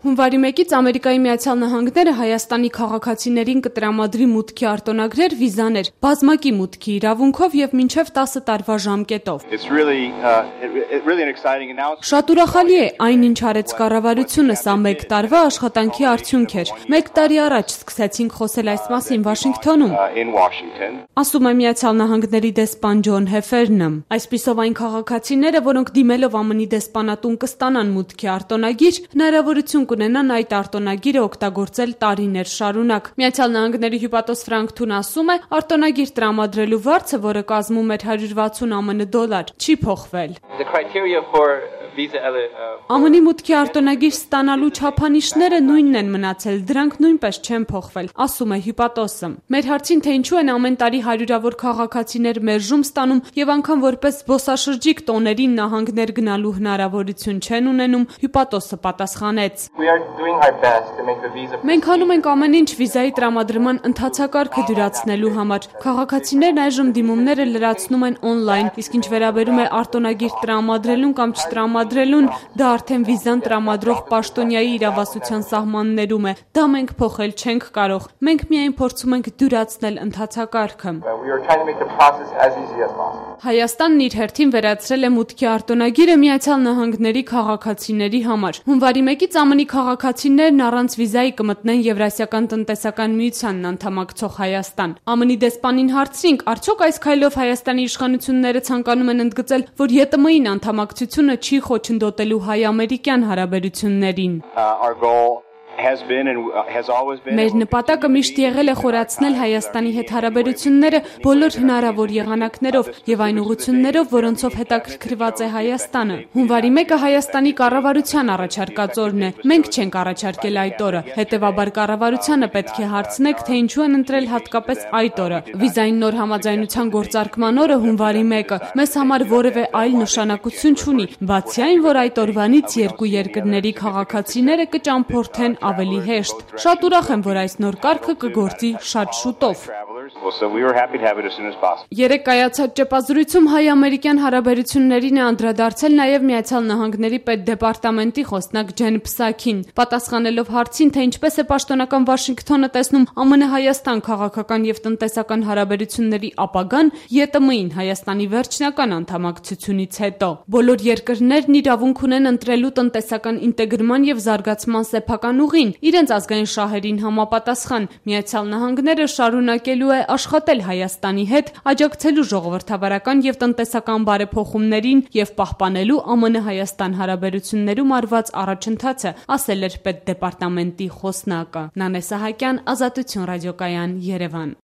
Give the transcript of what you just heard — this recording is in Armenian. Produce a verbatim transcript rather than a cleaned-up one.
Հունվարի մեկից Ամերիկայի Միացյալ Նահանգները Հայաստանի քաղաքացիներին կտրամադրի մուտքի արտոնագրեր, վիզաներ, բազմակի մուտքի իրավունքով եւ մինչեւ տասը տարվա ժամկետով։ Շատ ուրախալի է այն, ինչ արեց կառավարությունը, սա մեկ տարվա աշխատանքի արդյունք էր։ Մեկ տարի առաջ սկսեցինք խոսել այս մասին Վաշինգթոնում, ասում է Միացյալ Նահանգների դեսպան Ջոն Հեֆերնը։ Այսպիսով այն քաղաքացիները, որոնք դիմելով ԱՄՆ-ի դեսպանատուն կստանան մուտքի արտոնագիր, հնարավորություն կունենան այդ արտոնագիրը օգտագործել տարիներ շարունակ։ Միացյալ Նահանգների հյուպատոս Ֆրանկ Թուն ասում է, արտոնագիր տրամադրելու վարձը, որը կազմում էր հարյուր վաթսուն ԱՄՆ դոլար, չի փոխվել։ ԱՄՆ-ի մուտքի արտոնագիր ստանալու չափանիշները նույնն են մնացել, դրանք նույնպես չեն փոխվել, ասում է հյուպատոսը։ Մեր հարցին, թե ինչու են ամեն տարի հարյուրավոր քաղաքացիներ մերժում ստանում եւ անգամ որպես զբոսաշրջիկ տոներին նահանգներ գնալու հնարավորություն չեն ունենում, հյուպատոսը պատասխանեց. Մենք անում ենք ամեն ինչ վիզայի տրամադրման ընթացակարգը դյուրացնելու համար։ Քաղաքացիներն այժմ դիմումները լրացնում են օնլայն, իսկ ինչ վերաբերում է արտոնագիր տրամադրելուն կամ չտրամադրելուն, դա արդեն վիզան տրամադրող պաշտոնյայի իրավասության սահմաններում է։ Դա մենք փոխել չենք կարող։ Մենք միայն փորձում ենք դյուրացնել ընթացակարգը։ Հայաստանն իր հերթին վերացրել է մուտքի արտոնագիրը Միացյալ Նահանգների քաղաքացիների համար։ Հունվարի մեկից ԱՄՆ-ի քաղաքացիներն առանց վիզայի կմտնեն Եվրասիական տնտեսական միությանն անդամակցող Հայաստան։ ԱՄՆ-ի դեսպանին հարցրինք, արդյոք այս քայլով Հայաստանի իշխանությունները ցանկանում են ընդգծել, որ ԵՏՄ-ին անդամակցությունը չի խոչընդոտելու հայ-ամերիկյան հարաբերություններին։ Մեր նպատակը միշտ եղել է խորացնել Հայաստանի հետ հարաբերությունները բոլոր հնարավոր եղանակներով եւ այն ուղղություններով, որոնցով հետաքրքրված է Հայաստանը։ Հունվարի մեկը Հայաստանի կառավարության առաջարկած օրն է։ Մենք չենք առաջարկել այդ օրը։ Հետևաբար կառավարությանը պետք է հարցնեք, թե ինչու են ընտրել հատկապես այդ օրը։ Վիզային նոր համաձայնության գործարկման օրը հունվարի մեկը մեզ համար որևէ այլ նշանակություն չունի, բացի այն, որ այդ օրվանից երկու երկրների քաղաքացիները կճամփորդեն ավելի հեշտ։ Շատ ուրախ եմ, որ այս նոր կարգը կգործի շատ շուտով։ Երեկ կայացած ճեպազրույցում հայ-ամերիկյան հարաբերություններին է անդրադարձել նաև Միացյալ Նահանգների պետդեպարտամենտի խոսնակ Ջեն Փսաքին, պատասխանելով հարցին, թե ինչպես է պաշտոնական Վաշինգթոնը տեսնում ԱՄՆ-Հայաստան քաղաքական եւ տնտեսական հարաբերությունների ապագան ԵՏՄ-ին Հայաստանի վերջնական անդամակցությունից հետո։ Բոլոր երկրներն իրավունք ունեն ընտրելու տնտեսական ինտեգրման եւ զարգացման սեփական ուղին, իրենց ազգային շահերին համապատասխան։ Միացյալ Նահանգները շարունակելու է աշխատել Հայաստանի հետ, աջակցելու ժողովրդավարական եւ տնտեսական բարեփոխումներին եւ պահպանելու ԱՄՆ-Հայաստան հարաբերություններում արված առաջընթացը, ասել էր պետդեպարտամենտի խոսնակը։ Նանե Սահակյան, Ազատություն ռադիոկայան, Երևան։